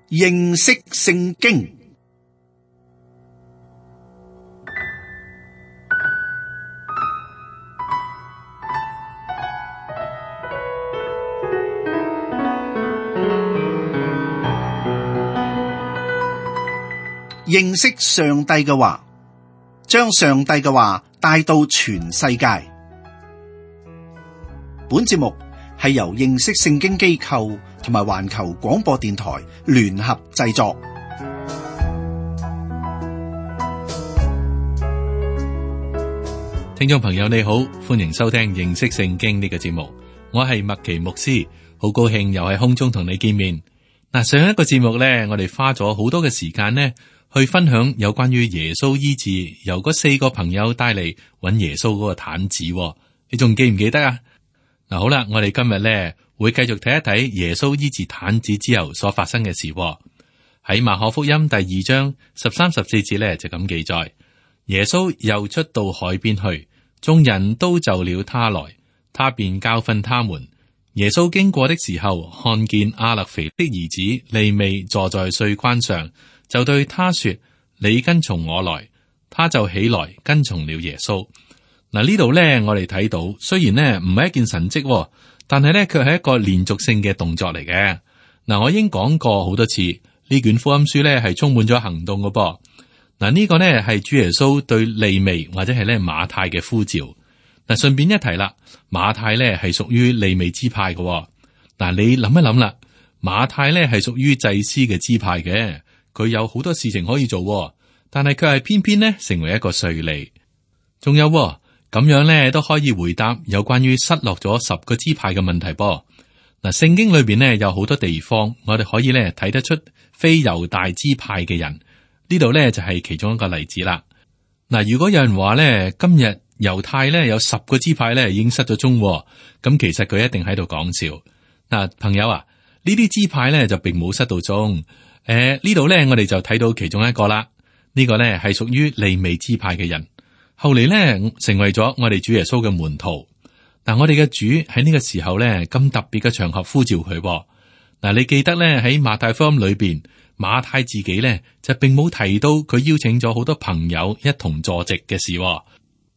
認識聖經。認識上帝嘅話，將上帝嘅話帶到全世界。本節目係由認識聖經機構同埋環球廣播電台聯合製作。聽眾朋友你好，歡迎收聽認識聖經呢個節目。我係麥奇牧師，好高興又喺空中同你見面。嗱，上一個節目呢，我哋花咗好多嘅時間呢，去分享有關於耶穌醫治由嗰4個朋友帶嚟揾耶穌嗰個癱子，你仲記唔記得啊？嗱，好啦，我哋今日咧會繼續睇一睇耶穌醫治癱子之後所發生嘅事。喺馬可福音第2章13、14節咧就咁記載：耶穌又出到海邊去，眾人都就了他來，他便教訓他們。耶穌經過的時候，看見亞勒腓的兒子利未坐在稅關上，就對他說：你跟從我來。他就起來跟從了耶穌。嗱，呢度咧，我哋睇到，雖然呢唔係一件神蹟，但係咧卻係一個連續性嘅動作嚟嘅。嗱，我已經講過好多次，呢卷福音書咧係充滿咗行動嘅噃。嗱，呢個呢係主耶穌對利未或者係咧馬太嘅呼召。嗱，順便一提啦，馬太咧係屬於利未支派嘅。嗱，你諗一諗啦，馬太咧係屬於祭司嘅支派嘅，佢有好多事情可以做，但係佢係偏偏呢成為一個稅吏。仲有咁樣咧都可以回答有關於失落咗10個支派嘅問題噃。嗱，聖經裏邊呢有好多地方，我哋可以咧睇得出非猶大支派嘅人，呢度咧就係其中一個例子啦。嗱，如果有人話咧今日猶太咧有10個支派咧已經失咗蹤，咁其實佢一定喺度講笑。嗱，朋友啊，呢啲支派咧就並冇失到蹤。呢度咧我哋就睇到其中一個啦。呢個咧係屬於利未支派嘅人。後嚟咧，成為咗我哋主耶穌嘅門徒。嗱，我哋嘅主喺呢個時候咧，咁特別嘅場合呼召佢。嗱，你記得咧喺馬太福音裏邊，馬太自己咧就並冇提到佢邀請咗好多朋友一同坐席嘅事。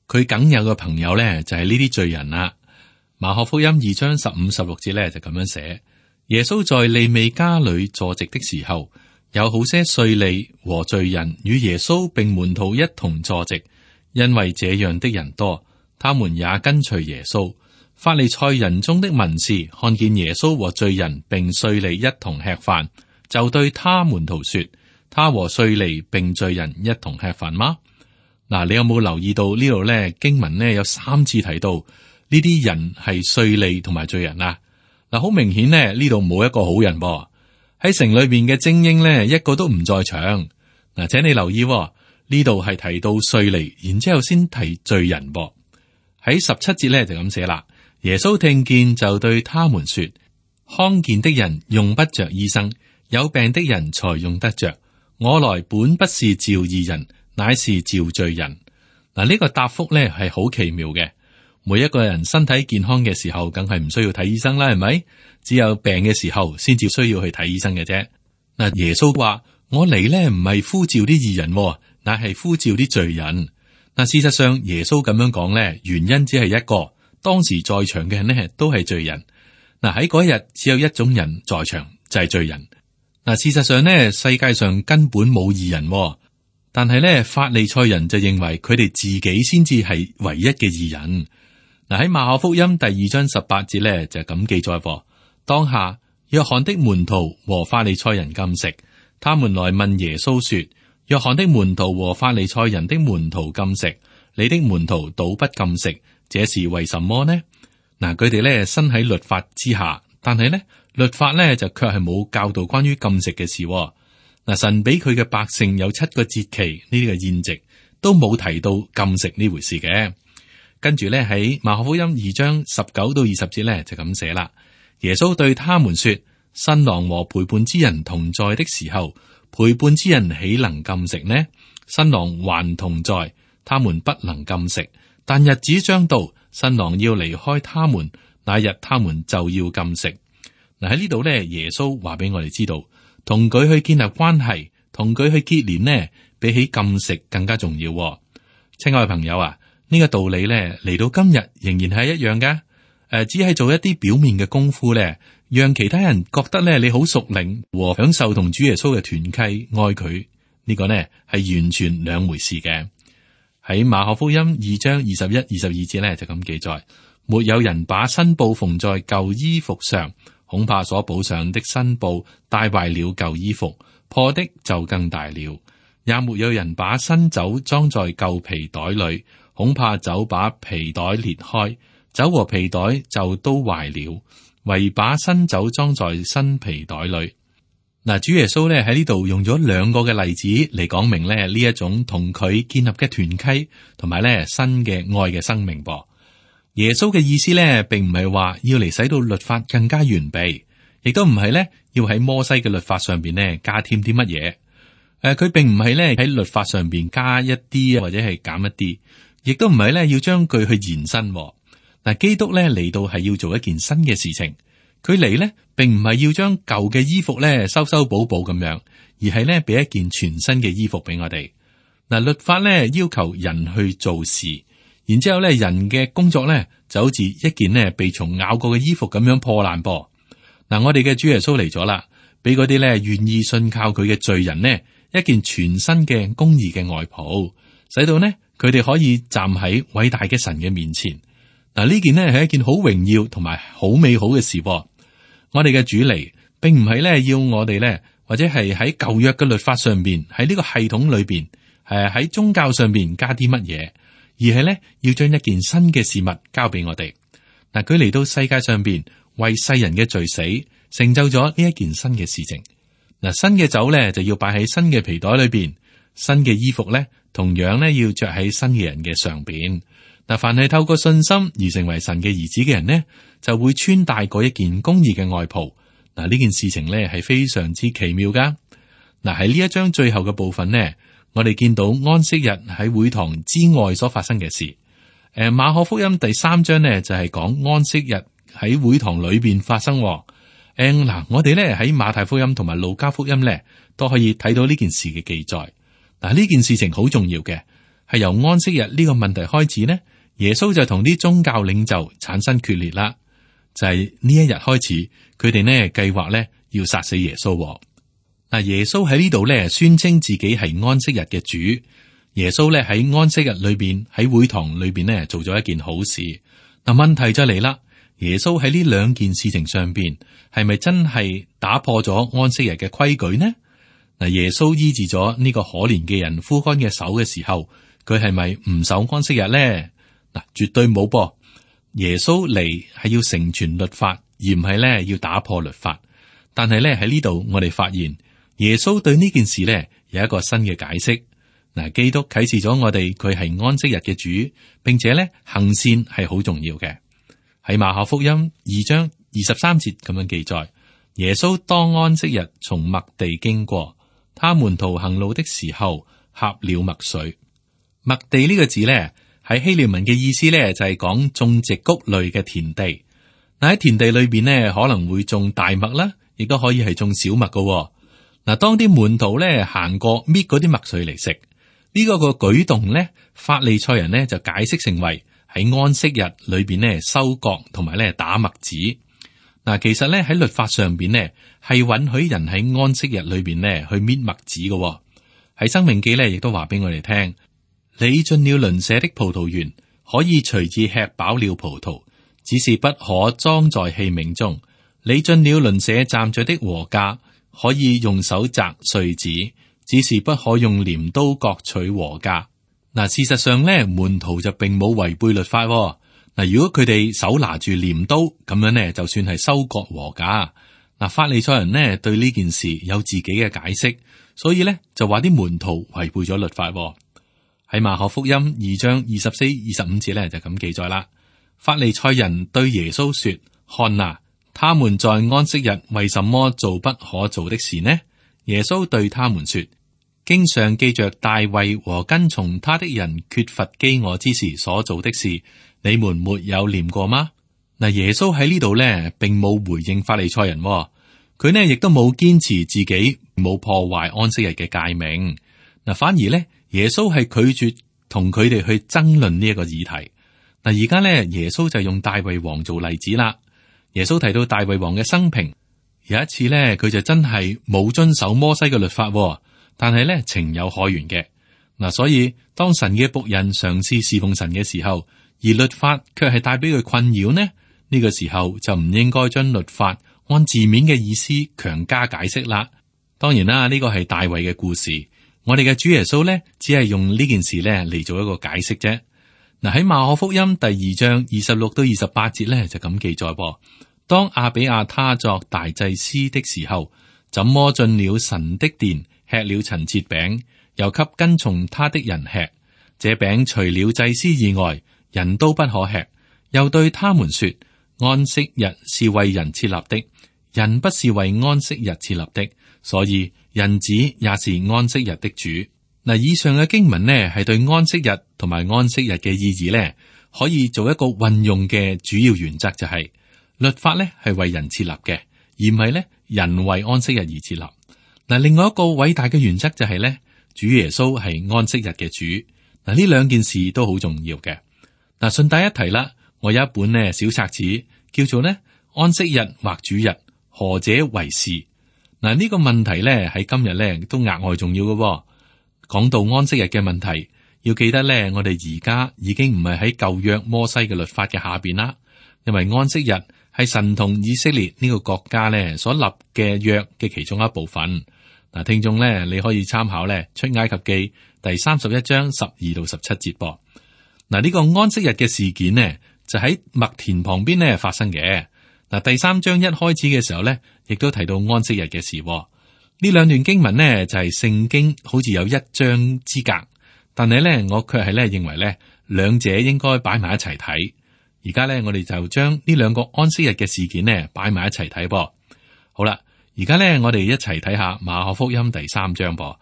佢梗有個朋友咧就係呢啲罪人啦。馬可福音2章15、16節咧就咁樣寫：耶穌在利未家裏坐席的時候，有好些稅吏和罪人與耶穌並門徒一同坐席。因為這樣的人多，他們也跟隨耶穌。法利賽人中的文士看見耶穌和罪人並稅吏一同吃飯，就對他門徒說：他和稅吏並罪人一同吃飯嗎？嗱，你有冇留意到呢度咧？經文咧有3次提到呢啲人係稅吏同埋罪人啊！嗱，好明顯咧，呢度冇一個好人噃。喺城裏邊嘅精英咧，一個都唔在場。嗱，請你留意。呢度係提到稅吏，然之後先提罪人噃。喺17節咧就咁寫啦。耶穌聽見就對他們說：康健的人用不着醫生，有病的人才用得着。我來本不是召義人，乃是召罪人。嗱，呢個答覆咧係好奇妙嘅。每一個人身體健康嘅時候，梗係唔需要睇醫生啦，係咪？只有病嘅時候先至需要去睇醫生嘅啫。嗱，耶穌話：我嚟咧唔係呼召啲義人，乃係呼召啲罪人。嗱，事實上耶穌咁樣講咧，原因只係一個，當時在場嘅人呢都係罪人。嗱，喺嗰日只有一種人在場，就係罪人。嗱，事實上呢，世界上根本冇義人，但係咧法利賽人就認為佢哋自己先至係唯一嘅義人。嗱，喺馬可福音第2章18節咧就咁記載：當下約翰的門徒和法利賽人禁食，他們來問耶穌說：約翰的門徒和法利賽人的門徒禁食，你的門徒倒不禁食，這是為什麼呢？嗱，佢哋咧身喺律法之下，但係咧律法咧就卻係冇教導關於禁食嘅事。嗱，神俾佢嘅百姓有7個節期呢個宴席，都冇提到禁食呢回事嘅。跟住咧喺馬可福音2章19到20節咧就咁寫啦。耶穌對他們說：新郎和陪伴之人同在的時候，陪伴之人豈能禁食呢？新郎還同在，他們不能禁食。但日子將到，新郎要離開他們，那日他們就要禁食。嗱，喺呢度咧，耶穌話俾我哋知道，同佢去建立關係，同佢去結連呢，比起禁食更加重要。親愛嘅朋友啊，呢個道理咧嚟到今日仍然係一樣噶。只係做一啲表面嘅功夫咧，讓其他人覺得咧你好屬靈和享受同主耶穌嘅團契愛佢，呢個呢係完全兩回事嘅。喺馬可福音2章21、22節咧就咁記載：沒有人把新布縫在舊衣服上，恐怕所補上的新布帶壞了舊衣服，破的就更大了；也沒有人把新酒裝在舊皮袋裏，恐怕酒把皮袋裂開，酒和皮袋就都壞了，唯把新酒裝在新皮袋裏。嗱，主耶穌咧喺呢度用咗兩個嘅例子嚟講明咧呢一種同佢建立嘅團契，同埋咧新嘅愛嘅生命噃。耶穌嘅意思咧，並唔係話要嚟使到律法更加完備，亦都唔係咧要喺摩西嘅律法上邊咧加添啲乜嘢。佢並唔係咧喺律法上邊加一啲或者係減一啲，亦都唔係咧要將佢去延伸。嗱，基督咧嚟到係要做一件新嘅事情，佢嚟咧並唔係要將舊嘅衣服咧修修補補咁樣，而係咧俾一件全新嘅衣服俾我哋。嗱，律法咧要求人去做事，然之後咧人嘅工作咧就好似一件咧被蟲咬過嘅衣服咁樣破爛噃。嗱，我哋嘅主耶穌嚟咗啦，俾嗰啲咧願意信靠佢嘅罪人呢一件全新嘅公義嘅外袍，使到呢佢哋可以站喺偉大嘅神嘅面前。嗱，呢件呢係一件好榮耀同埋好美好嘅事。我哋嘅主嚟，並唔係咧要我哋咧，或者係喺舊約嘅律法上邊，喺呢個系統裏邊，喺宗教上邊加啲乜嘢，而係咧要將一件新嘅事物交俾我哋。嗱，佢嚟到世界上邊，為世人嘅罪死，成就咗呢一件新嘅事情。嗱，新嘅酒咧就要擺喺新嘅皮袋裏邊，新嘅衣服咧同樣咧要着喺新嘅人嘅上邊。嗱，凡係透過信心而成為神嘅兒子嘅人呢，就會穿戴過一件公義嘅外袍。嗱，呢件事情咧係非常之奇妙噶。嗱，喺呢一章最後嘅部分呢，我哋見到安息日喺會堂之外所發生嘅事。馬可福音第3章呢就係講安息日喺會堂裏邊發生。嗱，我哋咧喺馬太福音同埋路加福音咧都可以睇到呢件事嘅記載。嗱，呢件事情好重要嘅，係由安息日呢個問題開始呢。耶穌就同啲宗教領袖產生決裂啦，就係呢一日開始，佢哋呢計劃呢要殺死耶穌。嗱，耶穌喺呢度呢宣稱自己係安息日嘅主。耶穌呢喺安息日裏邊喺會堂裏邊呢做咗一件好事。嗱，問題就嚟啦，耶穌喺呢兩件事情上邊係咪真係打破咗安息日嘅規矩呢？嗱，耶穌醫治咗呢個可憐嘅人枯乾嘅手嘅時候，佢係咪唔守安息日呢？嗱，絕對冇噃。耶穌嚟係要成全律法，而唔係咧要打破律法。但係咧喺呢度，我哋發現耶穌對呢件事咧有一個新嘅解釋。嗱，基督啟示咗我哋，佢係安息日嘅主，並且咧行善係好重要嘅。喺馬可福音2章23節咁樣記載，耶穌當安息日從麥地經過，他門徒行路的時候，掐了麥穗。麥地呢個字咧，喺希臘文嘅意思咧，就係講種植穀類嘅田地。嗱，喺田地裏邊呢，可能會種大麥啦，亦都可以係種小麥噶。嗱，當啲門徒咧行過搣嗰啲麥穗嚟食，呢個舉動咧，法利賽人呢就解釋成為喺安息日裏邊呢收割同埋咧打麥子。嗱，其實咧喺律法上邊呢係允許人喺安息日裏邊呢去搣麥子噶。喺申命記咧亦都話俾我哋聽。你進了鄰舍的葡萄園，可以隨意吃飽了葡萄，只是不可裝在器皿中。你進了鄰舍站着的禾稼，可以用手摘穗子，只是不可用鐮刀割取禾稼。嗱，事實上咧，門徒就並冇違背律法。嗱，如果佢哋手拿住鐮刀咁樣呢，就算係收割禾稼。嗱，法利賽人呢對呢件事有自己嘅解釋，所以咧就話啲門徒違背咗律法。喺馬可福音2章24、25節咧就咁記載啦。法利賽人對耶穌說：看啊，他們在安息日為什麼做不可做的事呢？耶穌對他們說：經上記着大衛和跟從他的人缺乏飢餓之時所做的事，你們沒有念過嗎？嗱，耶穌喺呢度咧，並冇回應法利賽人，佢佢呢亦都冇堅持自己冇破壞安息日嘅誡命。嗱，反而呢，耶穌係拒絕同佢哋去爭論呢一個議題。嗱，而家呢，耶穌就用大衛王做例子啦。耶穌提到大衛王嘅生平，有一次呢，佢就真係冇遵守摩西嘅律法，但係呢，情有可原嘅。嗱，所以當神嘅僕人嘗試侍奉神嘅時候，而律法卻係帶俾佢困擾呢，呢個時候就唔應該將律法按字面嘅意思強加解釋啦。當然啦，呢個係大衛嘅故事，我哋嘅主耶穌呢，只係用呢件事呢嚟做一個解釋啫。嗱，喺馬可福音第2章26到28節呢，就咁記載噃。當亞比亞他作大祭司的時候，怎麼進了神的殿，吃了陳設餅，又給跟從他的人吃。這餅除了祭司以外，人都不可吃。又對他們說：安息日是為人設立的，人不是為安息日設立的，所以人子也是安息日的主。嗱，以上嘅經文呢，係對安息日同埋安息日嘅意義呢，可以做一個運用嘅主要原則，就係律法呢係為人設立嘅，而唔係呢人為安息日而設立。嗱，另外一個偉大嘅原則就係呢，主耶穌係安息日嘅主。嗱，呢兩件事都好重要嘅。嗱，順帶一提啦，我有一本呢小冊子，叫做呢安息日或主日，何者為是？嗱，呢個問題呢喺今日呢都額外重要嘅。講到安息日嘅問題，要記得呢，我哋而家已經唔係喺舊約摩西嘅律法嘅下邊啦，因為安息日係神同以色列呢個國家呢所立嘅約嘅其中一部分。嗱，聽眾呢，你可以參考呢出埃及記第31章12到17節噃。嗱，呢個安息日嘅事件呢，就喺麥田旁邊呢發生嘅。嗱，第3章一開始嘅時候呢，亦都提到安息日嘅事。呢兩段經文呢，就係聖經好似有一章之隔，但係呢，我卻係呢認為呢兩者應該擺埋一齊睇。而家呢，我哋就將呢兩個安息日嘅事件呢擺埋一齊睇噃。好啦，而家呢，我哋一齊睇下馬可福音第3章噃。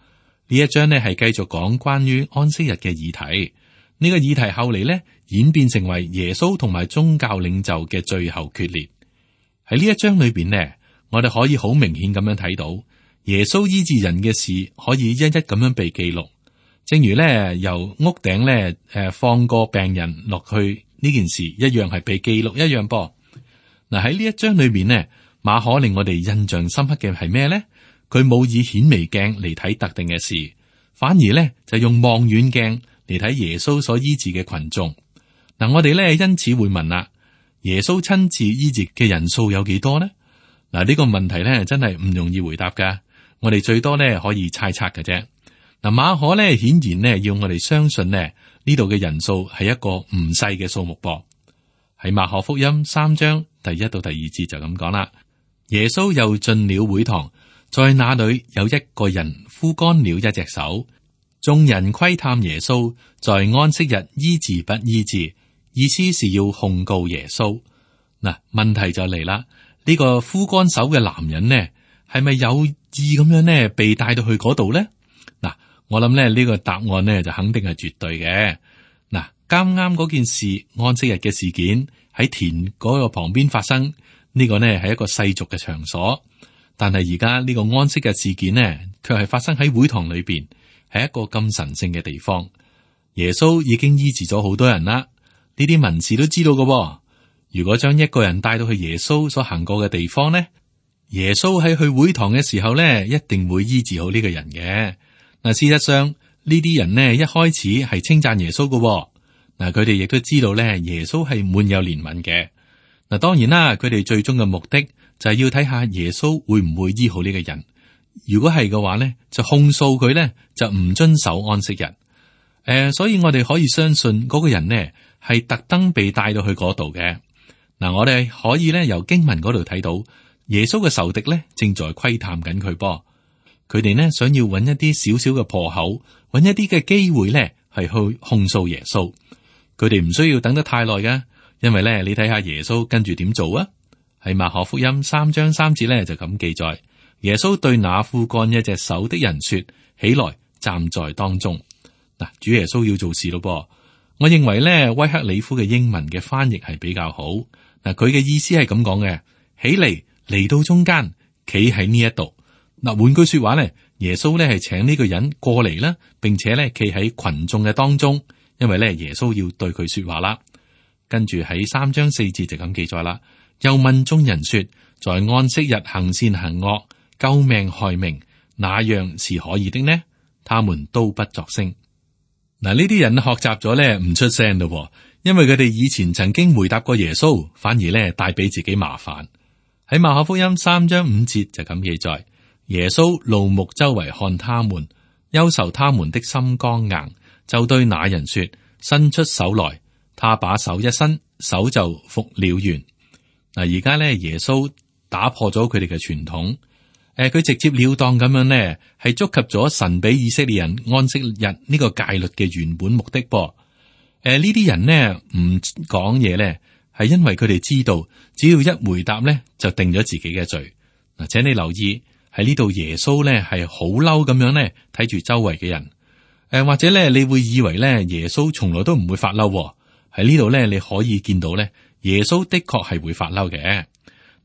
呢一章呢係繼續講關於安息日嘅議題。呢個議題後嚟呢演變成為耶穌同埋宗教領袖嘅最後決裂。喺呢一章裏邊呢，我哋可以好明顯咁樣睇到。耶穌醫治人嘅事可以一一咁樣被記錄，正如咧由屋頂咧放個病人落去呢件事一樣係被記錄一樣噃。嗱，喺呢一章裏面呢，馬可令我哋印象深刻嘅係咩咧？佢冇以顯微鏡嚟睇特定嘅事，反而咧就用望遠鏡嚟睇耶穌所醫治嘅群眾。嗱，我哋咧因此會問啦：耶穌親自醫治嘅人數有幾多呢？嗱，呢個問題咧真係唔容易回答噶。我哋最多咧可以猜測嘅啫。嗱，馬可咧顯然咧要我哋相信呢度嘅人數係一個唔細嘅數目噃。喺馬可福音3章第1到第2節就咁講啦。耶穌又進了會堂，在那裏有一個人枯乾了一隻手，眾人窺探耶穌在安息日醫治不醫治，意思是要控告耶穌。嗱，問題就嚟啦，呢個枯乾手嘅男人呢，係咪有意咁樣呢被帶到去嗰度呢？嗱，我諗咧呢個答案呢就肯定係絕對嘅。嗱，啱啱嗰件事安息日嘅事件喺田嗰個旁邊發生，呢個呢係一個世俗嘅場所，但係而家呢個安息日事件呢，卻係發生喺會堂裏邊，係一個咁神聖嘅地方。耶穌已經醫治咗好多人啦，呢啲文士都知道嘅。如果將一個人帶到去耶穌所行過嘅地方呢，耶穌喺去會堂嘅時候呢，一定會醫治好呢個人嘅。嗱，事實上呢啲人呢，一開始係稱讚耶穌嘅。嗱，佢哋亦都知道呢，耶穌係滿有憐憫嘅。嗱，當然啦，佢哋最終嘅目的就係要睇下耶穌會唔會醫好呢個人。如果係嘅話呢，就控訴佢呢，就唔遵守安息日。所以我哋可以相信嗰個人呢係特登被帶到去嗰度嘅。嗱，我哋可以呢由經文嗰度睇到。耶穌嘅仇敵咧，正在窺探緊佢噃。佢哋呢想要揾一啲少少嘅破口，揾一啲嘅機會咧，係去控訴耶穌。佢哋唔需要等得太耐噶，因為咧，你睇下耶穌跟住點做啊？喺馬可福音3章3節咧就咁記載：耶穌對那枯乾一隻手的人說：起來，站在當中。嗱，主耶穌要做事咯噃。我認為咧，威克里夫嘅英文嘅翻譯係比較好。嗱，佢嘅意思係咁講嘅：起嚟。嚟到中間，企喺呢一度。嗱，換句說話咧，耶穌咧係請呢個人過嚟啦，並且咧企喺群眾嘅當中，因為咧耶穌要對佢說話啦。跟住喺3章4節就咁記載啦。又問眾人說：在安息日行善行惡、救命害命，哪樣是可以的呢？他們都不作聲。嗱，呢啲人學習咗咧唔出聲咯，因為佢哋以前曾經回答過耶穌，反而咧帶俾自己麻煩。喺馬可福音3章5節就咁記載。耶穌怒目周圍看他們，憂愁他們的心剛硬，就對那人說：伸出手來。他把手一伸，手就復了原。嗱，而家咧耶穌打破咗佢哋嘅傳統，佢直接了當咁樣呢，係觸及咗神俾以色列人安息日呢個戒律嘅原本目的噃。呢啲人呢唔講嘢咧，係因為佢哋知道，只要一回答咧，就定咗自己嘅罪。嗱，請你留意。喺呢度耶穌咧係好嬲咁樣咧睇住周圍嘅人，或者咧你會以為咧耶穌從來都唔會發嬲。喺呢度咧你可以見到咧耶穌的確係會發嬲嘅。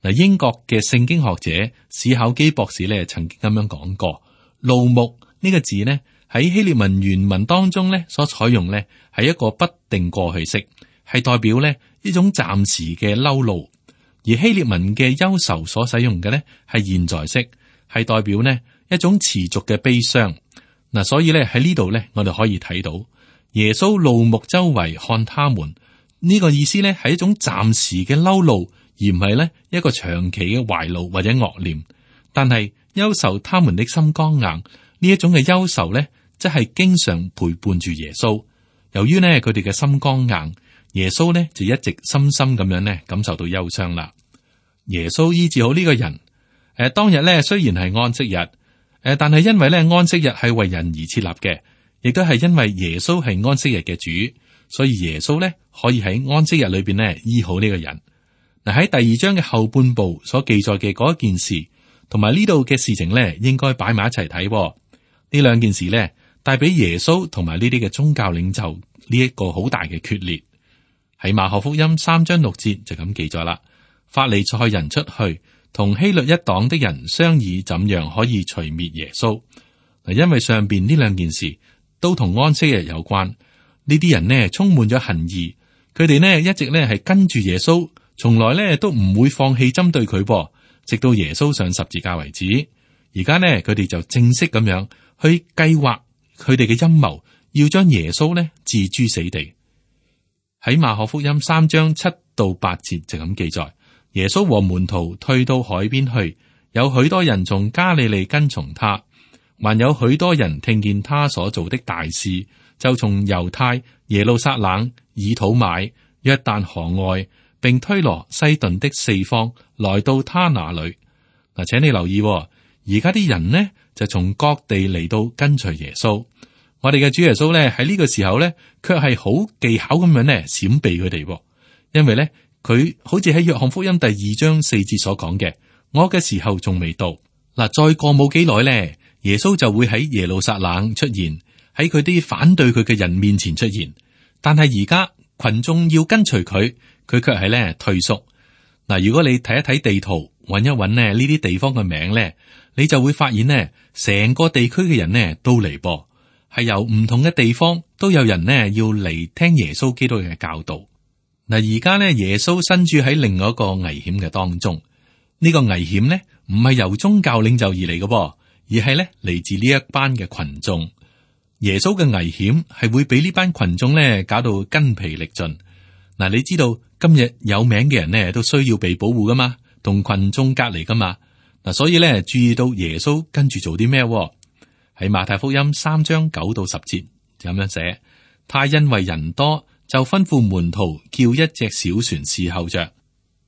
嗱，英國嘅聖經學者史考基博士咧曾經咁樣講過，怒目呢個字呢喺希臘文原文當中咧所採用咧係一個不定過去式，係代表咧一種暫時嘅嬲怒，而希臘文嘅憂愁所使用嘅咧係現在式。係代表呢一種持續嘅悲傷。嗱，所以咧喺呢度咧，我哋可以睇到耶穌怒目周圍看他們呢個意思咧，係一種暫時嘅嬲怒，而唔係咧一個長期嘅懷怒或者惡念。但係憂愁他們的心剛硬呢一種嘅憂愁咧，即係經常陪伴住耶穌。由於呢佢哋嘅心剛硬，耶穌咧就一直深深咁樣咧感受到憂傷啦。耶穌醫治好呢個人。當日咧雖然係安息日，但係因為咧安息日係為人而設立嘅，亦都係因為耶穌係安息日嘅主，所以耶穌咧可以喺安息日裏邊咧醫好呢個人。嗱，喺第2章嘅後半部所記載嘅嗰一件事，同埋呢度嘅事情咧，應該擺埋一齊睇。呢兩件事咧帶俾耶穌同埋呢啲嘅宗教領袖呢一個好大嘅決裂。喺馬可福音3章6節就咁記載啦。法利賽人出去，同希律一黨的人商議怎樣可以除滅耶穌。嗱，因為上邊呢兩件事都同安息日有關，呢啲人呢充滿咗恨意，佢哋呢一直呢係跟住耶穌，從來呢都唔會放棄針對佢，直到耶穌上十字架為止。而家呢佢哋就正式咁樣去計劃佢哋嘅陰謀，要將耶穌呢置諸死地。喺馬可福音3章7到8節就咁記載。耶穌和門徒退到海邊去，有許多人從加利利跟從他，還有許多人聽見他所做的大事，就從猶太、耶路撒冷、以土買、約旦河外，並推羅、西頓的四方，來到他那裏。嗱，請你留意，而家啲人呢就從各地嚟到跟隨耶穌。我哋嘅主耶穌咧喺呢個時候咧，卻係好技巧咁樣咧閃避佢哋，因為咧。佢好似喺約翰福音第2章4節所講嘅，我嘅時候仲未到。嗱，再過冇幾耐咧，耶穌就會喺耶路撒冷出現，喺佢啲反對佢嘅人面前出現。但係而家群眾要跟隨佢，佢卻係咧退縮。嗱，如果你睇一睇地圖，揾一揾咧呢啲地方嘅名咧，你就會發現呢，成個地區嘅人呢都嚟噃，係由唔同嘅地方都有人呢要嚟聽耶穌基督嘅教導。嗱，而家咧，耶穌身處喺另外一個危險嘅當中。呢個危險咧，唔係由宗教領袖而嚟嘅，而係咧嚟自呢一班嘅群眾。耶穌嘅危險係會俾呢班群眾咧搞到筋疲力盡。嗱，你知道今日有名嘅人咧都需要被保護噶嘛，同群眾隔離噶嘛。嗱，所以咧注意到耶穌跟住做啲咩？喺馬太福音3章9到10節就咁樣寫，他因為人多，就吩咐門徒叫一隻小船侍候着，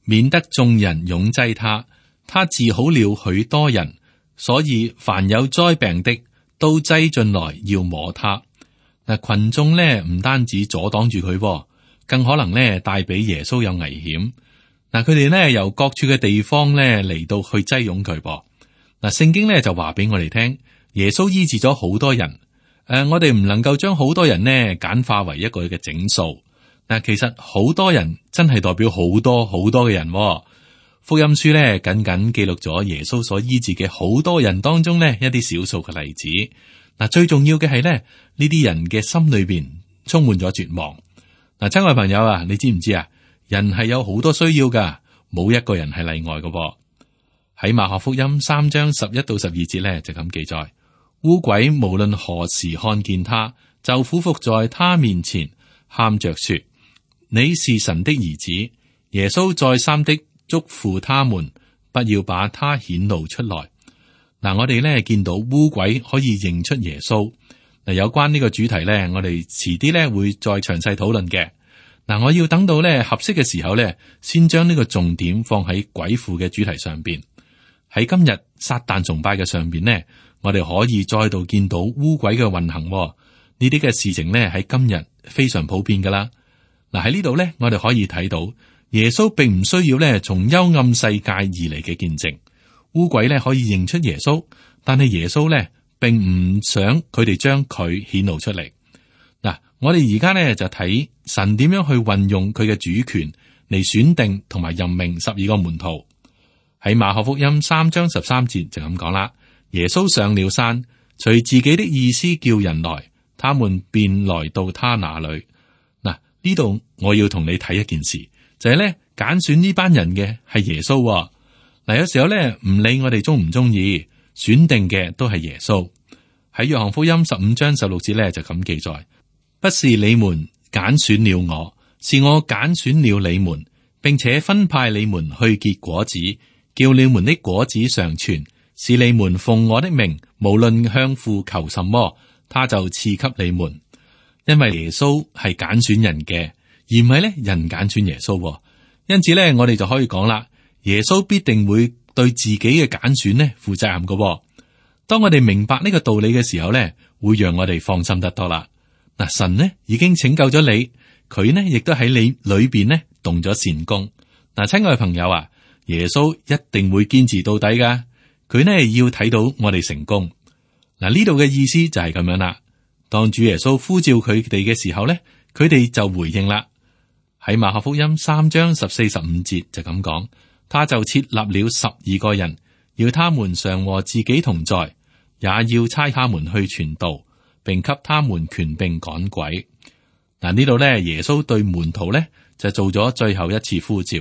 免得眾人擁擠他。他治好了許多人，所以凡有災病的都擠進來要摸他。嗱，群眾咧唔單止阻擋住佢，更可能咧帶俾耶穌有危險。嗱，佢哋咧由各處嘅地方咧嚟到去擠擁佢噃。嗱，聖經咧就話俾我哋聽，耶穌醫治咗好多人。我哋唔能夠將好多人呢簡化為一個嘅整數。嗱，其實好多人真係代表好多好多嘅人。福音書咧僅僅記錄咗耶穌所醫治嘅好多人當中呢一啲少數嘅例子。嗱，最重要嘅係咧，呢啲人嘅心裏邊充滿咗絕望。嗱，親愛朋友啊，你知唔知啊？人係有好多需要噶，冇一個人係例外噶。喺馬可福音3章11到12節咧就咁記載：污鬼無論何時看見他，就俯伏在他面前，喊着說：你是神的兒子。耶穌再三的囑咐他們，不要把他顯露出來。嗱，我哋咧見到污鬼可以認出耶穌。嗱，有關呢個主題咧，我哋遲啲咧會再詳細討論嘅。嗱，我要等到咧合適嘅時候咧，先將呢個重點放喺鬼附嘅主題上邊。喺今日撒旦崇拜嘅上邊呢，我哋可以再度見到污鬼嘅運行。呢啲嘅事情呢，喺今日非常普遍噶啦。嗱，喺呢度呢，我哋可以睇到耶穌並唔需要呢從幽暗世界而嚟嘅見證。污鬼呢可以認出耶穌，但係耶穌呢並唔想佢哋將佢顯露出嚟。嗱，我哋而家呢就睇神點樣去運用佢嘅主權嚟選定同埋任命12個門徒。喺馬可福音3章13節就咁講啦，耶穌上了山，隨自己的意思叫人來，他們便來到他那裏。嗱，呢度我要同你睇一件事，就係咧揀選呢班人嘅係耶穌。嗱，有時候咧唔理我哋中唔中意，選定嘅都係耶穌。喺約翰福音15章16節咧就咁記載：不是你們揀選了我，是我揀選了你們，並且分派你們去結果子，叫你們的果子常存，使你們奉我的名，無論向父求什麼，他就賜給你們。因為耶穌係揀選人嘅，而唔係咧人揀選耶穌。因此咧，我哋就可以講啦，耶穌必定會對自己嘅揀選咧負責任嘅。當我哋明白呢個道理嘅時候咧，會讓我哋放心得多啦。嗱，神呢已經拯救咗你，佢呢亦都喺你裏邊呢動咗善功。嗱，親愛嘅朋友啊，耶穌一定會堅持到底噶，佢呢要睇到我哋成功。嗱，呢度嘅意思就係咁樣啦。當主耶穌呼召佢哋嘅時候咧，佢哋就回應啦。喺馬可福音3章14、15節就咁講，他就設立了12個人，要他們常和自己同在，也要差他們去傳道，並給他們權柄趕鬼。嗱，呢度咧，耶穌對門徒咧就做咗最後一次呼召，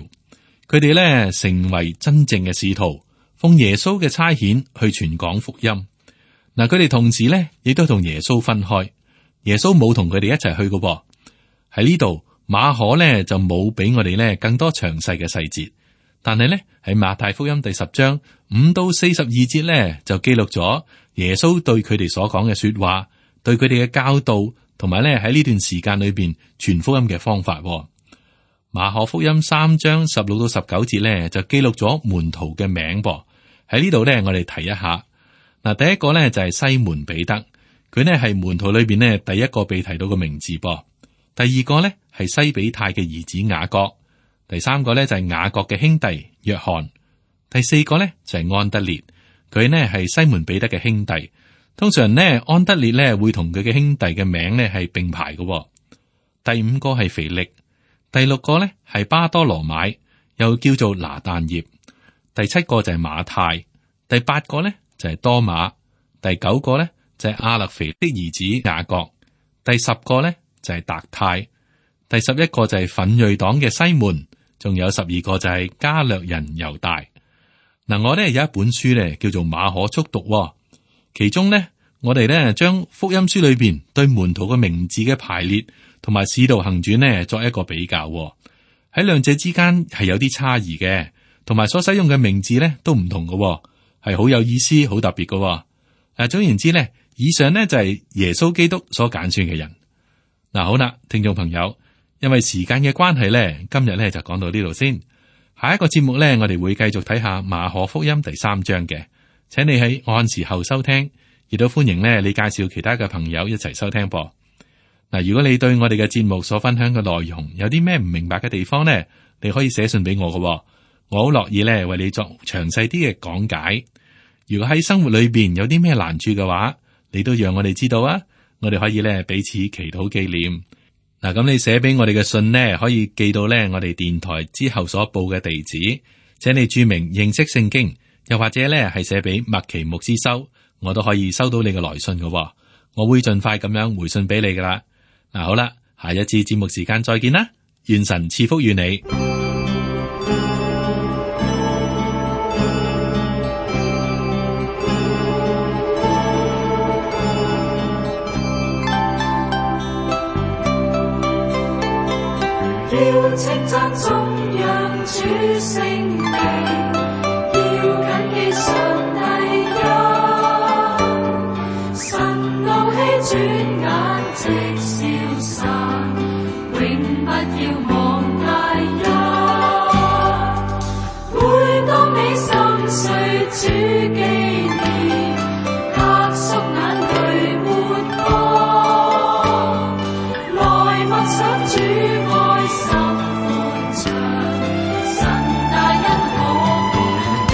佢哋咧成為真正嘅使徒，奉耶穌嘅差遣去傳講福音。嗱，佢哋同時咧亦都同耶穌分開，耶穌冇同佢哋一齊去嘅。喺呢度馬可咧就冇俾我哋咧更多詳細嘅細節，但係咧喺馬太福音第10章5到42節咧就記錄咗耶穌對佢哋所講嘅說話，對佢哋嘅教導，同埋咧喺呢段時間裏邊傳福音嘅方法。馬可福音3章16到19節咧就記錄咗門徒嘅名噃。喺呢度咧我哋提一下。嗱，第一個咧就係西門彼得，佢呢係門徒裏邊呢第一個被提到嘅名字噃。第二個咧係西比泰嘅兒子雅各，第三個咧就係雅各嘅兄弟約翰，第四個咧就係安德烈，佢呢係西門彼得嘅兄弟。通常呢安德烈咧會同佢嘅兄弟嘅名呢係並排嘅。第五個係腓力，第六個咧係巴多羅買，又叫做拿但業，第七個就係馬太，第八個咧就係多馬，第九個咧就係亞勒腓的兒子雅各，第10個咧就係達太，第11個就係奮銳黨嘅西門，仲有12個就係加略人猶大。嗱，我咧有一本書咧叫做馬可速讀，其中咧我哋咧將福音書裏邊對門徒嘅名字嘅排列同埋使徒行傳呢作一個比較，喺兩者之間係有啲差異嘅，同埋所使用嘅名字咧都唔同嘅。係好有意思、好特別嘅。總言之咧，以上呢就係耶穌基督所揀選嘅人。好啦，聽眾朋友，因為時間嘅關係咧，今日咧就講到呢度先。下一個節目咧，我哋會繼續睇下馬可福音第3章嘅，請你喺按時候收聽，亦都歡迎咧你介紹其他嘅朋友一齊收聽噃。如果你對我哋嘅節目所分享嘅內容有啲咩唔明白嘅地方呢，你可以寫信俾我嘅，我好樂意咧為你作詳細啲嘅講解。如果喺生活裏邊有啲咩難處嘅話，你都讓我哋知道啊，我哋可以咧彼此祈禱紀念。咁你寫俾我哋嘅信呢，可以寄到咧我哋電台之後所報嘅地址，請你注明認識聖經，又或者咧係寫俾麥奇牧師收，我都可以收到你嘅來信嘅。我會盡快咁樣回信俾你噶啦。嗱，好啦，下一次節目時間再見啦，願神賜福與你。要稱讚頌揚主聖名，要謹記上帝恩，神怒氣轉眼即消散，永不要忘大恩。每當你心碎主紀念，黑縮眼淚抹乾，來默想主愛心寬敞，神大恩可滿間。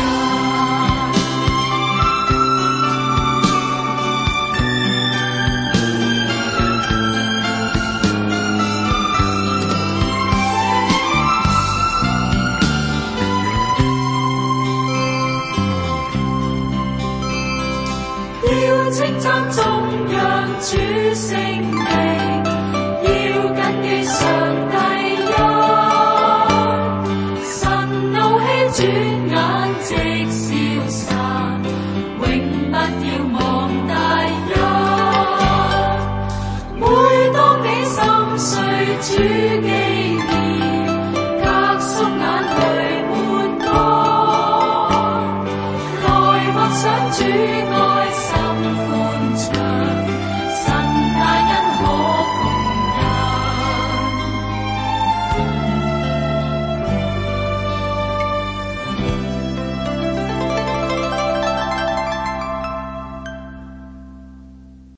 要稱讚頌揚主聖名，要謹記上帝恩，神怒氣轉眼即消散，永不要忘大恩。每當你心碎主